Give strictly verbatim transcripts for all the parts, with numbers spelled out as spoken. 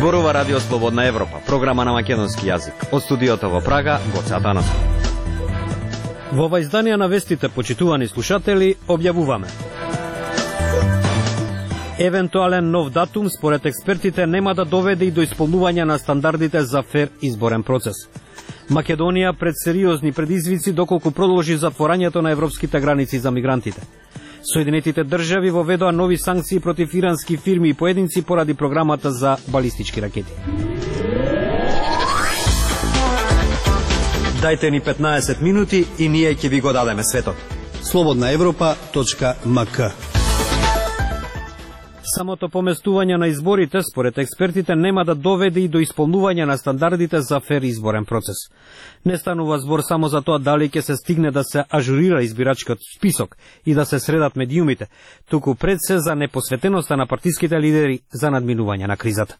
Зборува Радио Слободна Европа, програма на македонски јазик. Од студиото во Прага, Гоце Атанасов. Во ова издание на вестите, почитувани слушатели, објавуваме: евентуален нов датум според експертите нема да доведе и до исполнување на стандардите за фер изборен процес. Македонија пред сериозни предизвици доколку продолжи затворањето на европските граници за мигрантите. Соединетите држави воведоа нови санкции против ирански фирми и поединци поради програмата за балистички ракети. Дајте ни петнаесет минути и ние ќе ви го дадеме светот. слободна европа точка ем ка. Самото поместување на изборите, според експертите, нема да доведе и до исполнување на стандардите за фер изборен процес. Не станува збор само за тоа дали ќе се стигне да се ажурира избирачкиот список и да се средат медиумите, туку пред се за непосветеноста на партиските лидери за надминување на кризата.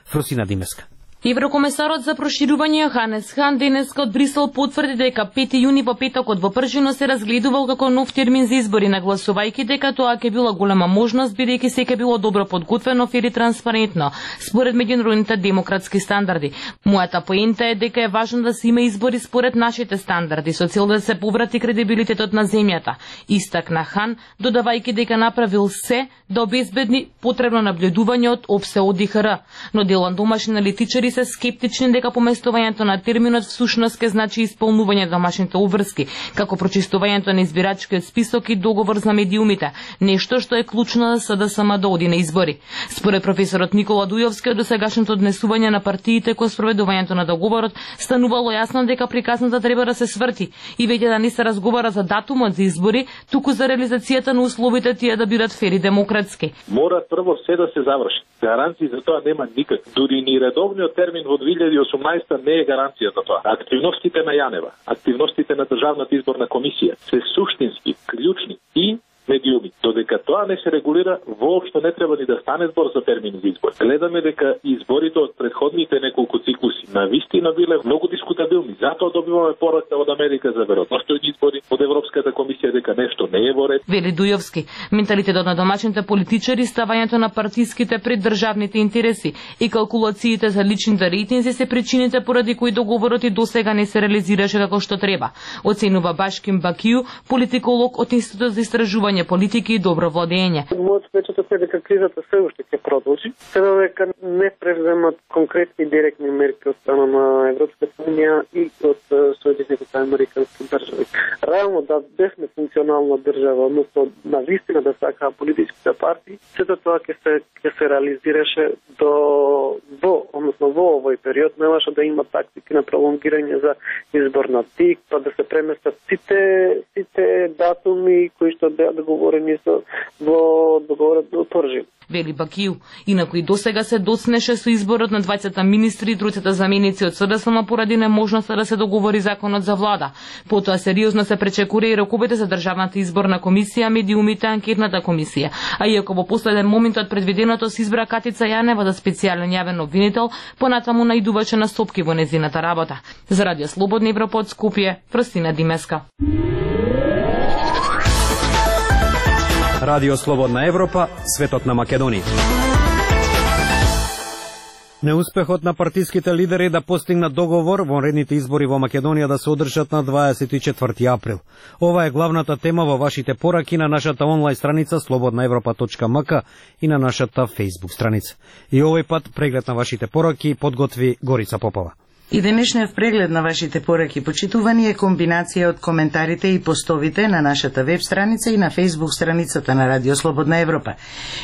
Фросина Димеска. Еврокомесарот за проширување Ханес Хан денеска од Брисел потврди дека пети јуни во петокот во Пржино се разгледувал како нов термин за избори, нагласувајќи дека тоа ќе била голема можност бидејќи се ќе било добро подготвено, фер и транспарентно според меѓународните демократски стандарди. Мојата поента е дека е важно да се има избори според нашите стандарди со цел да се поврати кредибилитетот на земјата, истакна Хан, додавајќи дека направил се да обезбедни потребно наблюдување од ОПСЕ О Д Х Р, но дел домашни аналитичари се скептични дека поместувањето на терминот всушност ќе значи исполнување на домашните обврски, како прочистувањето на избирачкиот список и договор за медиумите, нешто што е клучно за С Д С М да оди на избори. Според професорот Никола Дујовски, од досегашното однесување на партиите кон спроведувањето на договорот станувало јасно дека приказната треба да се сврти и веќе да не се разговара за датумот за избори, туку за реализацијата на условите тие да бидат фер и демократски. Мора прво се да се заврши. Гаранции за тоа нема никак. Дури ни редовниот термин во две илјади и осумнаесета не е гаранција за тоа. Активностите на Јанева, активностите на Државната изборна комисија се суштински, клучни и медиуми. Додека тоа не се регулира, воопшто не треба ни да стане збор за термин за избор. Гледаме дека изборите од претходните неколку циклуси на вистина биле многу дискутабилни. Затоа добиваме порака од Америка за веројатностојни избори, од Европската комисија дека нешто не е во ред. Вели Дујовски, менталитетот на домашните политичари, ставањето на партиските пред државните интереси и калкулациите за личните рейтинзи се причините поради кои договорот и досега не се реализираше како што треба, оценува Башким Бакију, политиколог од Институтот за истражување политики и добро владење. Мојот впечаток е дека кризата се уште ќе продолжи, се додека не преземат конкретни директни мерки од страна на Европската унија и од Соединетите американски држави. Реално да бевме функционална држава, односно на вистина да сакаа политичките партии, сето тоа ќе се ќе се реализираше до во, односно во овој период, немаше да има тактики на пролонгирање за избор на тик, па да се преместат сите сите датуми кои што беа договорени со во договорот до Пржин. Вели Бакију, инаку и досега се доцнеше со изборот на дваесет министри и тројцата заменици од С Д С М поради неможноста да се договори законот за влада. Потоа сериозно се пречекура и роковите за Државната изборна комисија, медиумите, анкетната комисија. А иако во последен момент од предвиденото се избра Катица Јанева за специјален јавен обвинител, понатаму наидуваче на стопки во незината работа. За Радио Слободна Европа од Скопје, Фросина Димеска. Радио Слободна Европа, светот на Македонија. Неуспехот на партиските лидери да постигнат договор во редните избори во Македонија да се одржат на дваесет и четврти април. Ова е главната тема во вашите пораки на нашата онлайн страница слободна европа точка ем ка и на нашата Facebook страница. И овој пат преглед на вашите пораки подготви Горица Попова. И денешниот преглед на вашите пораки, почитувани, е комбинација од коментарите и постовите на нашата веб страница и на Facebook страницата на Радио Слободна Европа.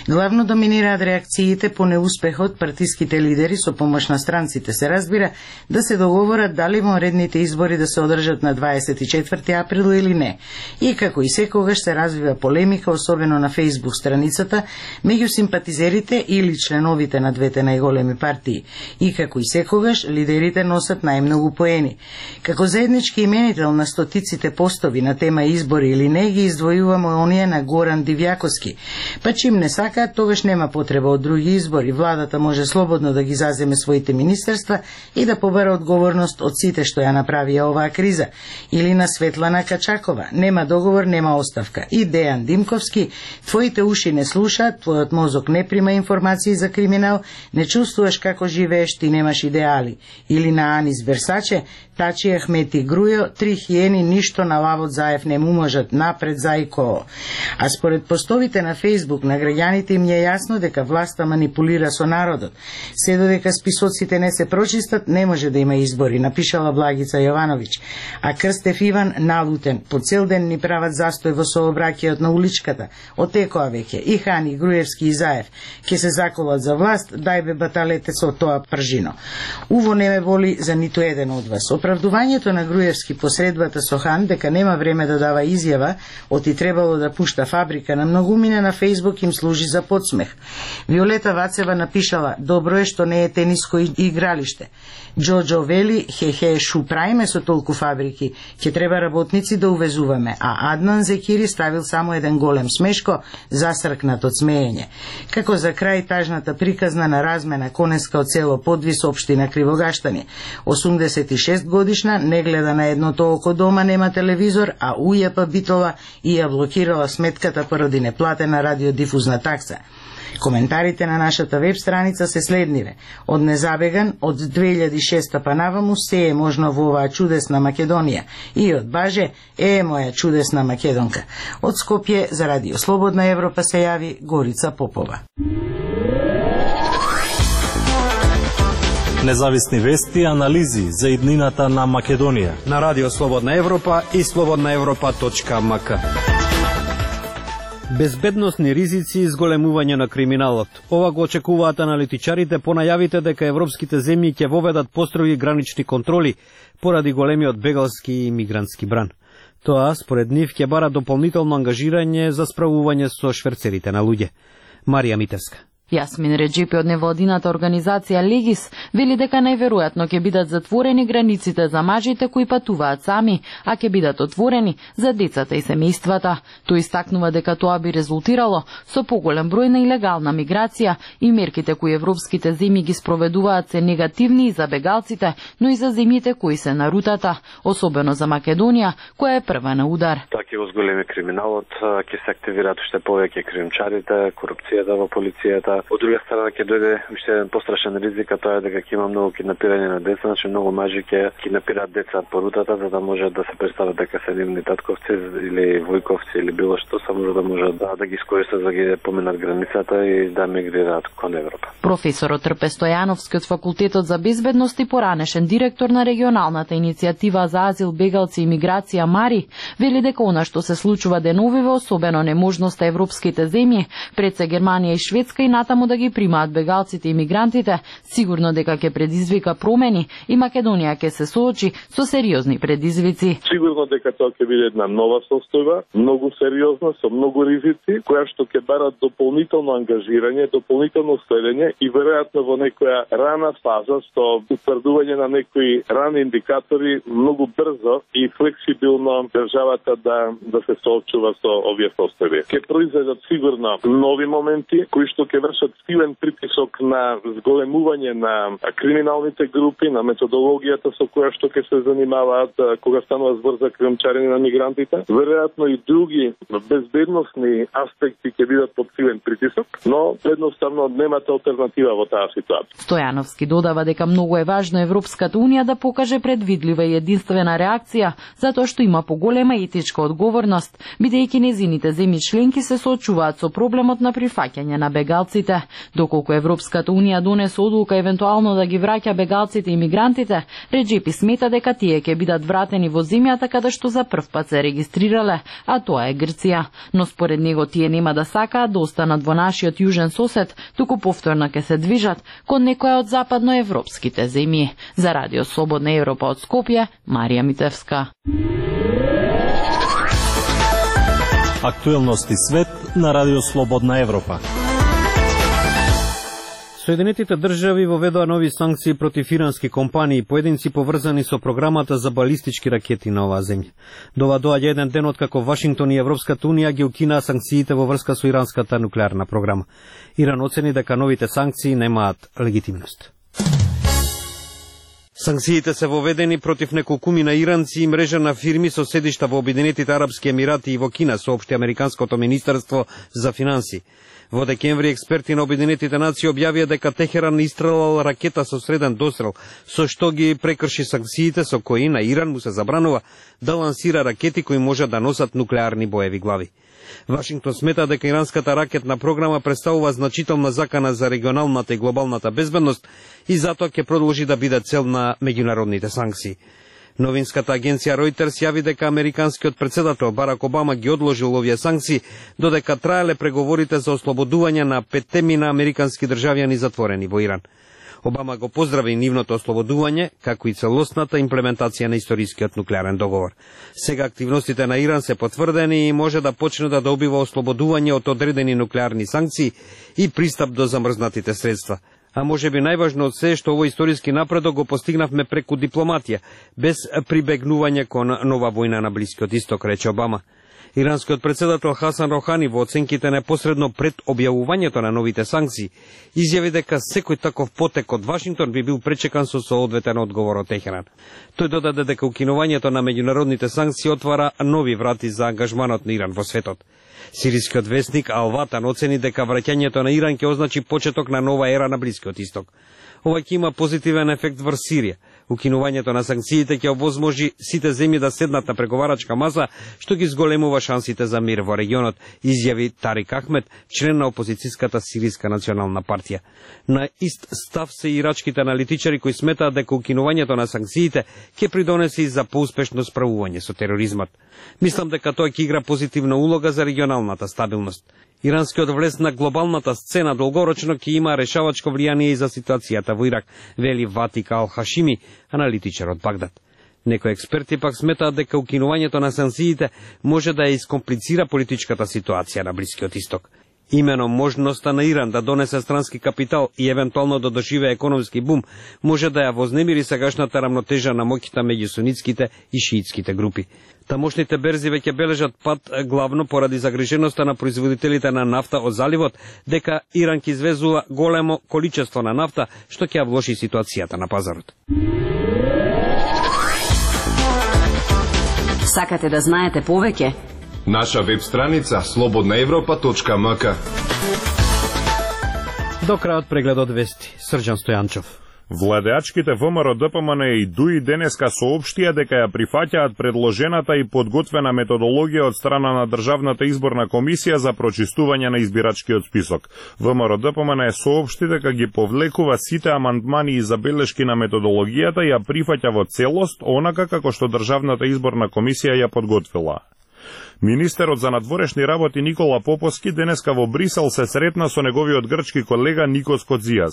Главно доминираат реакциите по неуспехот партиските лидери со помош на странците, се разбира, да се договорат дали вонредните избори да се одржат на дваесет и четврти април или не. И како и секогаш се развива полемика, особено на Facebook страницата, меѓу симпатизерите или членовите на двете најголеми партии. И како и секогаш, лидерите носат најмногу поени. Како заеднички именител на стотиците постови на тема избори или не, ги издвојуваме оние на Горан Дивјаковски. Па чим не сакаат, тогаш нема потреба од други избори. Владата може слободно да ги заземе своите министерства и да побара одговорност од сите што ја направија оваа криза. Или на Светлана Качакова. Нема договор, нема оставка. И Дејан Димковски, твоите уши не слушаат, твојот мозок не прима информации за криминал, не чувствуваш како живееш, ти немаш идеали. Или на Анис Версаче, Тачи Ахмети Грујо, три хиени ништо на Лавот Заев не му можат, напред Зајко. А според постовите на Фейсбук на граѓаните им е јасно дека власта манипулира со народот. Се додека списоците не се прочистат, не може да има избори, напишала Благица Јовановиќ. А Крстев Иван налутен, по цел ден ни прават застој во сообраќајот на уличката. Отекоа веќе и Хани, Груевски и Заев ќе се заколат за власт, дај бе баталете со тоа пржино. Уво не ме воли за ниту еден од вас. Оправдувањето на Груевски посредбата со Хан дека нема време да дава изјава, оти требало да пушта фабрика на многумина на Фейсбук им служи за подсмех. Виолета Вацева напишала: добро е што не е тениско игралиште. Џоџо вели: хе-хе, шу праиме со толку фабрики, ќе треба работници да увезуваме, а Аднан Зекири ставил само еден голем смешко, засркнат од смеење. Како за крај тажната приказна на размена конеска од село Подвис, општина Кривогаштани. осумдесет и шест годишна, не гледа на едното око дома, нема телевизор, а ујапа битола и ја блокирала сметката поради неплатена радиодифузна такса. Коментарите на нашата веб страница се следниве. Од незабеган, од две илјади и шеста па наваму, се е можно во оваа чудесна Македонија. И од Баже, е моја чудесна Македонка. Од Скопје за Радио Слободна Европа се јави Горица Попова. Независни вести и анализи за иднината на Македонија на Радио Слободна Европа и слободна европа точка ем ка. Безбедносни ризици и зголемување на криминалот. Ова го очекуваат аналитичарите по најавите дека европските земји ќе воведат построги гранични контроли поради големиот бегалски и мигрантски бран. Тоа, според нив, ќе бара дополнително ангажирање за справување со шверцерите на луѓе. Марија Митевска. Јасмин Реджипи од невладината организација Легис вели дека најверојатно ќе бидат затворени границите за мажите кои патуваат сами, а ќе бидат отворени за децата и семејствата. Тој истакнува дека тоа би резултирало со поголем број на илегална миграција и мерките кои европските земји ги спроведуваат се негативни и за бегалците, но и за земјите кои се на рутата, особено за Македонија, која е прва на удар. Тоа ќе го зголеми криминалот, ќе се активираат уште повеќе кримчарите, корупцијата во полицијата. Од друга страна ќе дојде уште еден пострашен ризик, а тоа е дека ќе има многу киднапирање на деца, значи многу мажи ќе киднапираат деца по рутата за да можат да се представат дека се нивни татковци или војковци или било што, само за да можат да, да ги искористат за да ги поминат границата и да мигрираат кон Европа. Професорот Трпе Стојановски од Факултетот за безбедност и поранешен директор на регионалната иницијатива за азил, бегалци и миграција Мари, вели дека она што се случува деновиве, особено неможноста европските земји, пред се Германија и Шведска и натаму да ги примаат бегалците и мигрантите, сигурно дека ќе предизвика промени и Македонија ќе се соочи со сериозни предизвици. Сигурно дека тоа ќе биде една нова состојба, многу сериозна, со многу ризици, која што ќе барат дополнително ангажирање, дополнително следење и веројатно во некоја рана фаза со утврдување на некои рани индикатори многу брзо и флексибилно државата да да се соочува со овие состојби. Ќе произведат сигурно нови моменти кои што ќе вршат силен притисок на зголемување на криминалните групи, на методологијата со која што ќе се занимаваат кога станува збор за кримчарење на мигрантите. Веројатно и други безбедносни аспекти ќе бидат под силен притисок, но едноставно немате алтернатива во таа ситуација. Стојановски додава дека многу е важно Европската унија да покаже предвидлива и единствена реакција, затоа што има поголема етичка одговорност, бидејќи незините земји членки се соочуваат со проблемот на прифаќање на бегалците. Доколку Европската унија донесе одлука евентуално да ги враќа бегалците и мигрантите, Реджепи смета дека тие ќе бидат вратени во земјата каде што за прв пат се регистрирале, а тоа е Грција. Но според него тие нема да сакаат да останат во нашиот јужен сосед, туку повторно ќе се движат кон некоја од западноевропските земји. За Радио Слободна Европа од Скопје, Марија Митевска. Актуелности свет на Радио Слободна Европа. Соединетите држави воведоа нови санкции против ирански компании и поединци поврзани со програмата за балистички ракети на оваа земја. Дова доаѓа еден ден откако Вашингтон и Европската унија ги укинаа санкциите во врска со иранската нуклеарна програма. Иран оцени дека новите санкции немаат легитимност. Санкциите се воведени против неколкумина иранци и мрежа на фирми со седишта во Обединетите арапски емирати и во Кина, соопшти Американското министерство за финанси. Во декември експерти на Обединетите нации објавија дека Техеран истрелал ракета со среден дострел, со што ги прекрши санкциите со кои на Иран му се забранува да лансира ракети кои може да носат нуклеарни боеви глави. Вашингтон смета дека иранската ракетна програма представува значителна закана за регионалната и глобалната безбедност и затоа ќе продолжи да биде цел на меѓународните санкции. Новинската агенција Reuters јави дека американскиот председател Барак Обама ги одложил овие санкции додека траеле преговорите за ослободување на петтемина американски државјани затворени во Иран. Обама го поздрави нивното ослободување, како и целосната имплементација на историскиот нуклеарен договор. Сега активностите на Иран се потврдени и може да почне да добива ослободување од одредени нуклеарни санкции и пристап до замрзнатите средства. А може би најважно од се што овој историски напредок го постигнавме преку дипломатија, без прибегнување кон нова војна на Блискиот Исток, рече Обама. Иранскиот председател Хасан Рохани во оценките непосредно пред објавувањето на новите санкции изјави дека секој таков потек од Вашингтон би бил пречекан со соодветен одговор од Техеран. Тој додаде дека укинувањето на меѓународните санкции отвара нови врати за ангажманот на Иран во светот. Сирискиот весник Ал Ватан оцени дека враќањето на Иран ќе означи почеток на нова ера на Блискиот Исток. Ова ќе има позитивен ефект врз Сирија. Укинувањето на санкциите ќе овозможи сите земји да седнат на преговарачка маса, што ги зголемува шансите за мир во регионот, изјави Тарик Ахмед, член на опозицијската Сириска национална партија. На ист став се и ирачките аналитичари кои сметаат дека укинувањето на санкциите ќе придонесе и за поуспешно справување со тероризмот. Мислам дека тоа ќе игра позитивна улога за регионалната стабилност. Иранскиот влез на глобалната сцена долгорочно ќе има решавачко влијание и за ситуацијата во Ирак, вели Ватик Ал Хашими, аналитичар од Багдад. Некои експерти пак сметаат дека укинувањето на санкциите може да ја искомплицира политичката ситуација на Блискиот Исток. Имено можноста на Иран да донесе странски капитал и евентуално да доживее економски бум може да ја вознемири сегашната рамнотежа на моќта меѓу сунитските и шиитските групи. Тамошните берзи веќе бележат пат главно поради загриженоста на производителите на нафта од заливот дека Иран ќе извезува големо количество на нафта што ќе ја влоши ситуацијата на пазарот. Сакате да знаете повеќе? Наша веб страница слободна европа точка ем ка. До крајот прегледот вести. Срđan Стојанчов. Владеачките ВМРО Д П М Н и Д У И денеска соопштија дека ја прифаќаат предложената и подготвена методологија од страна на Државната изборна комисија за прочистување на избирачкиот список. ВМРО Д П М Н соопшти дека ги повлекува сите амандмани и забелешки на методологијата и ја прифаќа во целост онака како што Државната изборна комисија ја подготвила. Министерот за надворешни работи Никола Поповски денеска во Брисел се сретна со неговиот грчки колега Никос Кодзијас.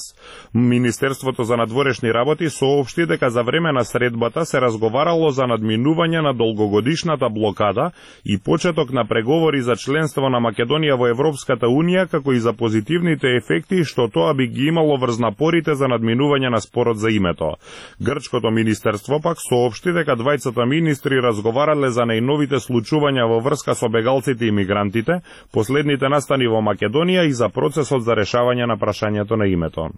Министерството за надворешни работи соопшти дека за време на средбата се разговарало за надминување на долгогодишната блокада и почеток на преговори за членство на Македонија во Европската Унија, како и за позитивните ефекти што тоа би ги имало врз напорите за надминување на спорот за името. Грчкото министерство пак соопшти дека двајцата министри разговарале за најновите случувања во врска со бегалците и мигрантите, последните настани во Македонија и за процесот за решавање на прашањето на името.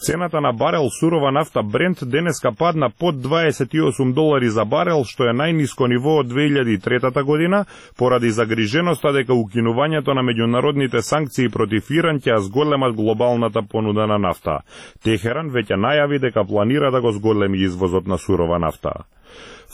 Цената на барел сурова нафта Брент денеска падна под дваесет и осум долари за барел, што е најниско ниво од две илјади и трета година, поради загриженоста дека укинувањето на меѓународните санкции против Иран ќе зголемат глобалната понуда на нафта. Техеран веќе најави дека планира да го зголеми извозот на сурова нафта.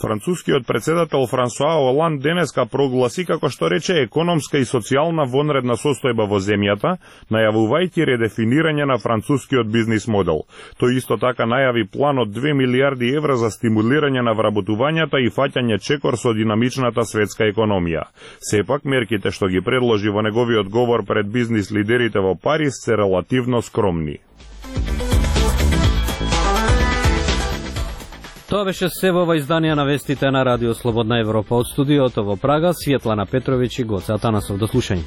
Францускиот председател Франсуа Оланд денеска прогласи, како што рече, економска и социјална вонредна состојба во земјата, најавувајќи редефинирање на францускиот бизнис модел. Тој исто така најави план од две милијарди евра за стимулирање на вработувањата и фаќање чекор со динамичната светска економија. Сепак, мерките што ги предложи во неговиот говор пред бизнис лидерите во Париз се релативно скромни. Тоа беше се во ова издание на вестите на Радио Слободна Европа. Од студиото во Прага, Светлана Петровиќ и Гоце Атанасов. До слушање.